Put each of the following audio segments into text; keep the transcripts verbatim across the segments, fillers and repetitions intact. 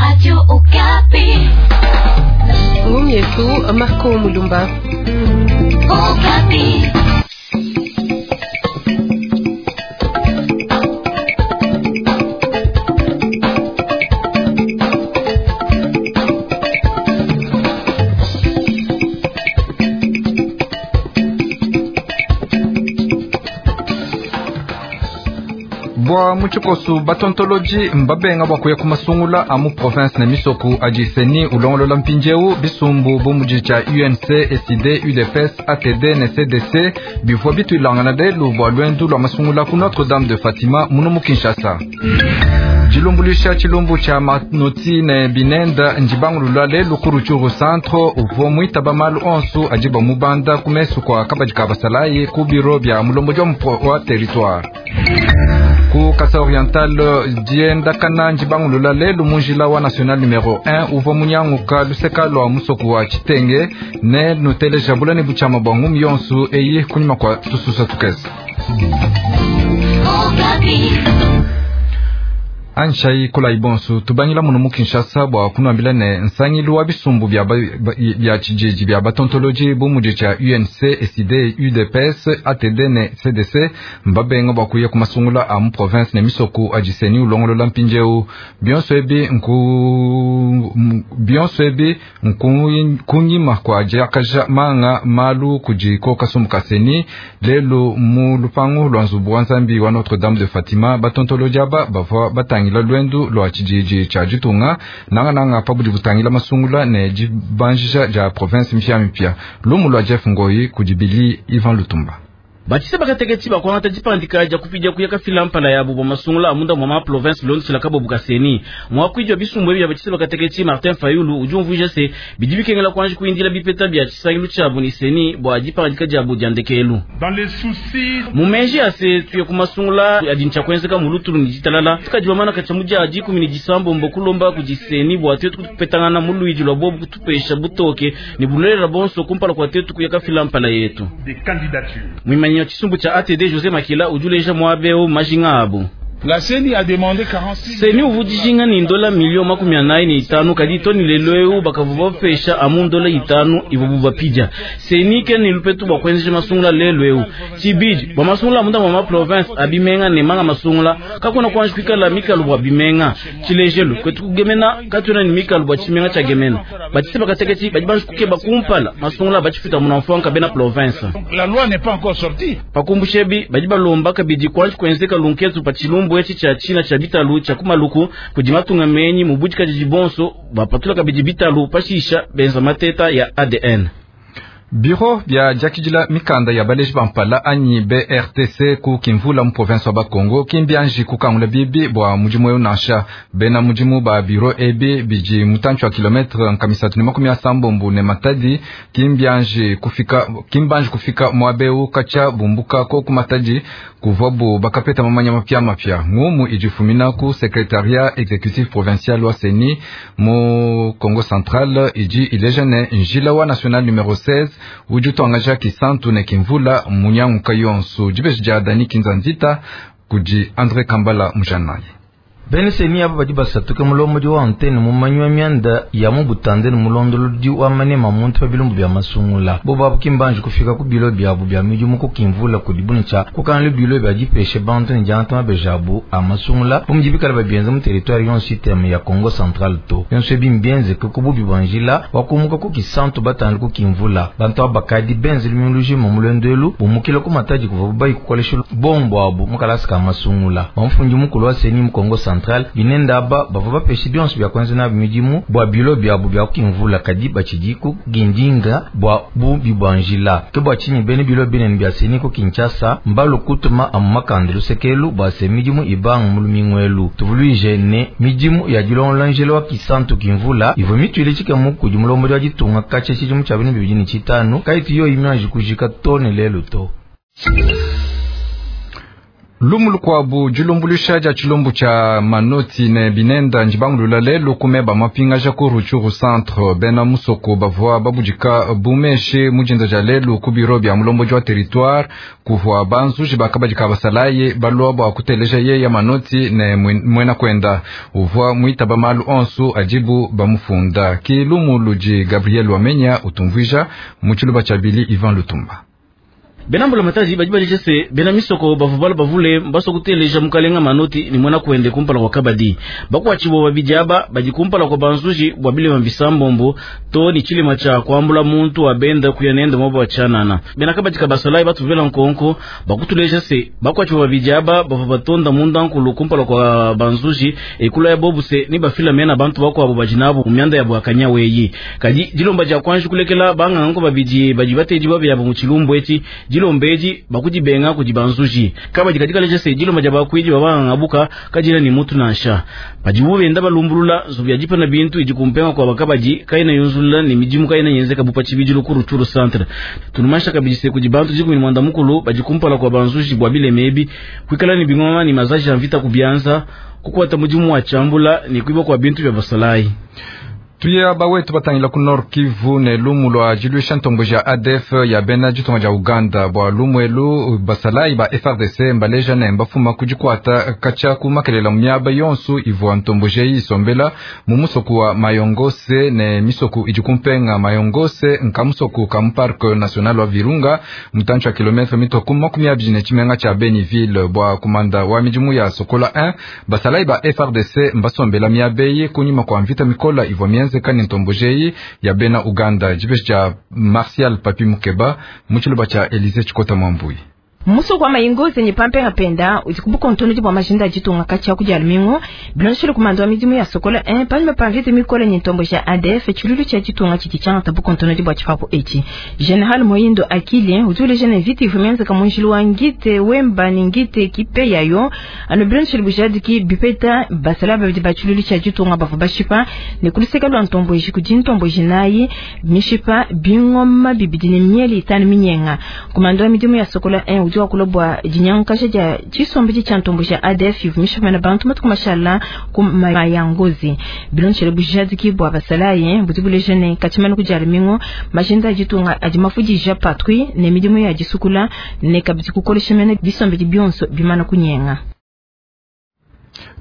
Radio Okapi. Ngumi yetu Marco Mulumba. Okapi. Bwa muchikosu batontoloji mbabenga bwa kuya kumasungula amu province ne misoku adi seni ulongolola mpindieu bisumbu bu mudi tshia U N C, S D, U D P S, A T D ne C D C bivua bituilangana lelu bua luendu lua masungula ku Notre Dame de Fatima munu mu Kinshasa. Dilumbuluisha tshilumbu tshia manoti ne binenda ndibangulula lelu ku Rutshuru Centre uvua muitaba malu onsu adi bamubanda ku mesu kua kabadi ka basalayi ku biro bia mulombodi wa territoire. Ku Kasai Oriental diendakana ndibangulula lelu mu njila wa national numero un uvua munyanguka luseka lua musoku wa Tshitenge ne nuteleja bula ne butshama bua ngumi yonsu eyi kunyima kua tususa tukese. Anshai kula ibonsu tubangila munu mu Kinshasa bua kunuambila ne nsangilu wa bisumbu bya bya tshijiji bya batontoloji bu mudi tshia U N C, S D, U D P S, A T D ne C D C mbabenga bua kuya kumasungula a mu province ne misoku adi seni ulongolola mpindieu bionso ebi nku bionso ebi nku kunyima kua diakaja manga malu kudi koka sumbu ka seni lelu mu lupangu lua nzubu wa nzambi wa Notre Dame de Fatima batontoloji aba bavua batangila lwendu lwa tshijiji tshia ditunga nanga nanga pabudi butangila masungula ne dibanjisha dia province mpya mpya lumu lwa Jeff Ngoi kudibili Ivan Lutumba. Batise bakateketi bakwangata dipandika dia kupidia kuya kafila mpala yabo bwa masungula amunda mwa ma province bilondeshela kabo bukaseni mwakwidya bisumbu ebi bya batise bakateketi Martin Fayulu udi umvuija se bidi bikengela kuanji kuindila bipeta bya tshisangilu tshiabu ni seni bua dipandika diabu dia ndekelu mu meji ase tuye ku masungula adi ntshia kuenzeka mu lutulu ni ditalala tukadibamana katshia mu dia dikumi ni disambombo kulomba kudi seni bua tuetu kupetangana mu luidi lua bobu kutupesha butoke ni bulelela bonso kumpala kua tetu kuya kafila mpala yetu. Mwimanyi chisumbu cha A T D José Makila ujuleja mwabeo majinga abo. La CENI a demandé quarante-six CENI uvudijinga ni ndola milio makumi anayi ni itanu kadi toni lelo eu bakavuba pesha amu ndola itanu ivubu bapija. CENI ke ni lupetu bwa kuenzesha masungula lelo eu. Chibidi bwa masungula munda mwa province abimenga ne manga masungula kakuna kuanji kuikala mikalu bwa bimenga. Chilejelu kwetu kugemena katuna ni mikalu bwa chimenga cha gemena. Batise bakateketi badi banji kukeba kumpala masungula bachifuta munamfuanka bena province. La loi n'est pas encore sortie. Pakumbushebi badi balomba kabidi kuanji kuenzeka lunketu pa chilumbu echi cha china cha bitalu cha kumaluku kudi matunga menyi mubudika jibonso bapatula kabidi bitalu pashisha benza mateta ya A D N. Biro bya diakidila mikanda ya baleji bampala anyi B R T C ku Kimvula mu province wa Bakongo kimbianji kukangula bibi bua mudimu eu nansha bena mudimu ba biro ebi bidi mutantshi wa kilometre nkamisatu ne makumi asambombo ne Matadi kimbianji kufika kimbanji kufika muabeu katshia bumbuka ko ku Matadi kuvuabu bakapeta mamanya mapya mapya ngumu idifumina ku secrétariat exécutif provincial wa CENI mu Congo Central idi ileja ne njila wa national numero seize udi utuangaja Kisantu ne Kimvula munyanguka yonsu dibeji dia Dani Kinzanzita kudi André Kambala Mujanayi. Bene seni aba badi basatuke mulombodi wa antene mumanyi wa mianda ya mu butande ne mulondolodi wa manema muntu pa bilumbu bya masungula bo babu kimbanji kufika ku bilo byabu bya midimu ku Kimvula kudi bunitshia kukanla bilo bya dipeshe bantu ne diangata mabeja abu a masungula bu mudi bikala babienza mu territoire yonso iteme ya Congo Central to yonso ebi mbienzeke ku bubi bua njila wa kumuka ku Kisantu batande ku Kimvula bantu aba bakadi benze lumilu mu mulendo bumukila ku Matadi kuva bayi kukolesha bombo abu mukalasi ka masungula bamufundi mukulu wa seni mu Congo Central binenda aba bavua bapeshe bionso bya kuenza nabi midimu bua bilo byabu bya Kimvula kadi batshidiku gindinga bua bubi bua njila ke bua tshinyi bene bilo binene bya seni ku Kinshasa mbalu kutuma amu makanda lusekelu bua se midimu ibanga mu lumingwelu tuvuluije ne midimu ya dilongola njila wa Kisantu Kimvula ivua mituile tshikemu kudi mulombodi wa ditunga katshia tshidimu tshia binu bibidi ne tshitanu kaitu yo imianji kujika to ne lelu to. Lumu lukuabu dilumbuluisha dia tshilumbu tshia manoti ne binenda ndibangulula lelu kumeba mapingaja ku Rutshuru centre. Bena musoko bavua babudika bumeshi mujinda dia lelu ku biro bia mulombodi wa territoire kuvua banzuji bakabadika basalayi balua bua kuteleja yeya manoti ne mwena kwenda uvua muitaba malu onsu adibu bamufunda. Ki lumu ludi Gabriel Wamenya utumvuija mu tshiluba tshia Bili Ivan Lutumba. Bena mbulamatadi badi baleja se bena misoko bavua bala bavule mbaso kuteleja mukalenga manoti ni mwana kuende kumpala kwa kabadi bakuatshibua babidi aba badi kumpala kwa banzuji bua bilema bisambombo to ni tshilema tshia kuambula muntu wa benda kuya nende mwabo wa tshanana. Bena kabadi kabasalayi batuvela nkonko bakutuleja se bakuatshibua babidi aba bavua batonda munda nkulu kumpala kwa banzuji ekula ya bobu se ni bafila mena bantu bakuabo badi nabo mu mianda ya bwakanya weyi kadi dilomba dia kuanji kulekela bangango babidi badi batedi babyabo mu tshilumbu eti dilombeji bakudibenga kudi banzuji kabadi kadika leja se dilomba dia bakwidi babanga kadila ni mutu nansha padibu benda balumbulula nzubu ya dipana bintu idi kumpenga kwa bakabadi kaina yunzulula ni midimu kaina yenzeka bupa tshibidilu ku Rutshuru centre. Tunumasha kabidi se kudi bantu dikumi ni mwanda mukulu badi kumpala kwa banzuji bwa bilema ebi kwikala ni bingoma ni mazaji ya mvita kubianza kukwata mudimu wa chambula ni kuiba kwa bintu bya basalayi. Tuya bawetu batangila ku Nord Kivu ne lumu lwa jiluisha ntombo ja A D F ya bena jitonga ja Uganda bwa lumu elu basalayi ba F R D C mbaleja ne mbafuma kujikwata kacha kumakelela myaba yonsu ivua ntombo jeyi isombela mu musoku wa Mayongose ne misoku ijikumpenga Mayongose nka musoku ka mu Parc National wa Virunga mutancho wa kilometre mitoku makumi abiri ne tshimenga tsha Beniville bwa kumanda wa midimu ya Sokola un basalayi ba F R D C mbasombela miabeyi kunyima kwa mvita mikola ivua mienze kani ntombojeyi ya bena Uganda. Jibeshi cha Martial Papi Mukeba muchiluba cha Elise Chikota Mwambui. Muso kwa mayingozi ni pampe rapenda uzikumbuka ntono bwa majinda jitunga kacha kuja almingo bilonshilo kumando midimu ya Sokola un palme pamvite mikole ni ntombo ja A D F chululu cha jitunga chikichanga tabu ntono bwa chipapo eti General Moyindo Akili uzule jene viti vumenza kamunjilu wangite wemba ningite kipe yayo ano bilonshilo bujadi ki bipeta basala babidi bachululu cha jitunga bavu bashipa ne kuliseka lwa ntombo jikudi ntombo jinayi mishipa bingoma bibidini mieli itanu minyenga kumando midimu ya Sokola un uzi wakulobwa jinyankasha ja chisombe cha ntombo ja A D F ivumisha mena bantu matukumashala ku mayangozi bilonchele bujadi ki bwa basalaye butibule jene katimana kujali mingo majinda jitunga ajimafujija patrouille ne midimu ya jisukula ne kabiti kukolesha mena bisombe bionso bimana kunyenga.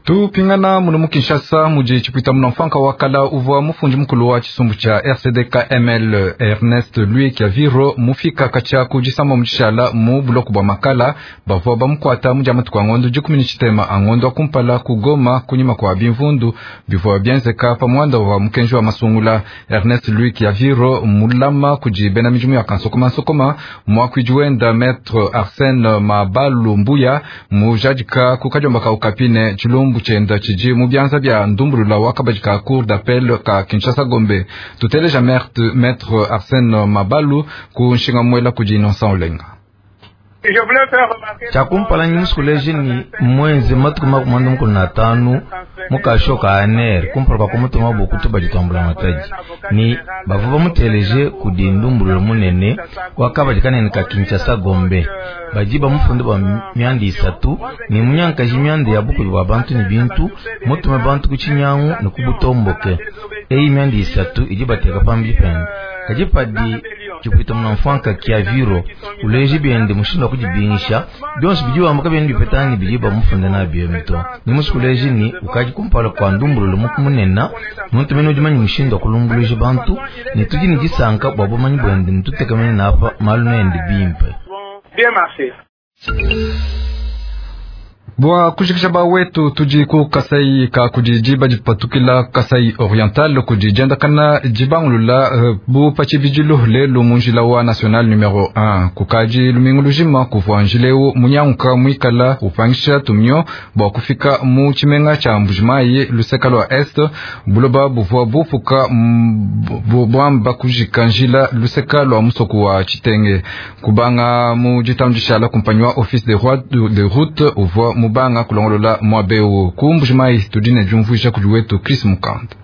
Tupingana muno mu Kinshasa muji chipwita muno mfanka wakala uvua mufundi mukulu wa chisumbu cha R C D K M L Ernest Louis Kiaviro mufika kacha kujisamba muchishala mu buloko bwa makala bavua bamukwata muja matuku angondo jikumi ni chitema angondo akumpala kugoma kunyima kwa bimvundu bivua bienzeka pa mwanda wa mukenji wa masungula. Ernest Louis Kiaviro mulama kuji bena mijumu ya kansokoma nsokoma mwakwijuenda Maître Arsène Mabalu Mbuya mujadika kukajomba ka ukapine chilumbu chenda chiji mu byanza bya ndumbulula wakabaji ka cour d'appel ka Kinshasa Gombe. Tuteleja Maître Arsène Mabalu ku nshinga mwela kuji Innocent Olenga. Chakumpala nyimusukuleje ni mwenzi matuku makumanda mukulu na tanu mukashoka aner kumpala kwa kumutuma bukutu bajitambula mataji ni bavuba muteleje kudi ndumbulula munene wakabaji kanene ka Kinshasa Gombe baji bamufunde ba myanda isatu ni munyankaji myanda ya bukulu bwa bantu ni bintu mutume bantu kuchinyangu ni kubutomboke eyi myanda isatu idi bateka pambi pende kajipadi chipwita munamfanka Kiaviro uleje byende mushinda kujibingisha byonse bijiwa maka byende bipetani bijiba mufunde na byemto ni musikuleje ni ukaji kumpala kwa ndumbulula mukumunena muntu mene ujimanyi mushinda kulumbuluje bantu ni tuji ni jisanka bwa bumanyi bwende nitutekamene napa malu nende bimpe. Bien marché. Bwa kushikisha ba wetu tuji ku Kasai ka kujijiba jipatukila Kasai Oriental kujijenda kana jibangulula uh, bu pachibijilu lelu munjila wa national numero un kukaji lumingu lujima kuvua njileu munyanka mwikala upangisha tumyo bwa kufika mu chimenga cha Mbujimayi luseka lwa est buloba buvua bupuka bwamba kujika njila luseka lwa musoku wa Chitenge kubanga mu jitambishala kumpanywa office de roi de route uvua mubanga kulongolola mwabeu ku Mbujimayi tudine jumvuisha kujuwetu Chris Mukanda.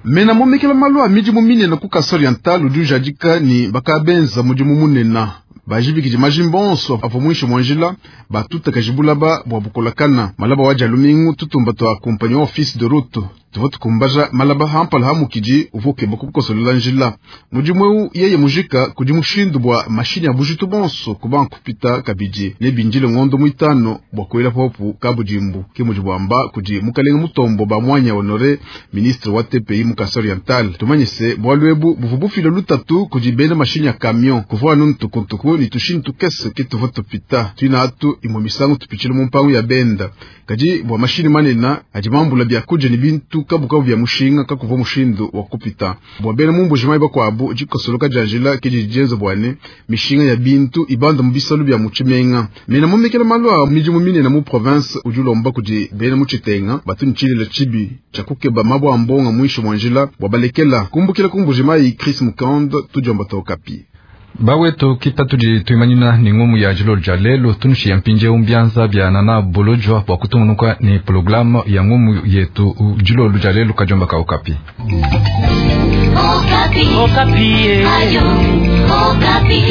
Mena momekela malu a midimu minene ku Kasai Oriental udi ujadika ni bakabenza mudimu munena Bajibikidi majimba onso avua muinshi mua njila batutakaji bulaba bua bukolakana malaba wa dia lumingu tutumba tua kumpanyi wa office de route tuvua tukumbaja malaba hampala hamukidi uvua ukeba kukosolela njila. Mudimu eu yeye mujika kudi mushindu bua mashini ya bujitu bonso kuba kupita kabidi ne bindile ngondo muitano bua kuela popu kabudimbu ke mudi bwamba kudi mukalenga Mutombo ba mwanya Honore ministre wa T P I mu Kasai Oriental. Tumanye se bwalu ebu buvu bufila lutatu kudi bena mashini ya camion kuvua anu ntukuntuku ni tushini tukese ke tuvua tupita tuina atu imwe misangu tupichile mu mpangu ya benda kadi bua mashini manena adi mambula bya kuja ni bintu kabukabu bya mushinga kakuva mushindu wa kupita bua bena mumbuji mai bakwabu dikosoloka dia njila ke didienza bwane mishinga ya bintu ibanda mu bisalu bya mutshimenga mena mumekela malu a midimu minene mu province udi ulomba kudi bena mutshitenga batu ntshilila tshibi tshia kukeba mabwa a mbonga muinshi mua njila bua balekela kumbukila kumbuji mai Chris Mukand tudiomba tokapi. Bawetu kipatudi tuimanyina ni ngumu ya jilo lya lelo tunushi ya mpinje umbianza bya nana bolojwa bwa kutungunuka ni programu ya ngumu yetu jilo lya lelo kajomba ka Okapi. Okapi. Okapi. Ayo, Okapi.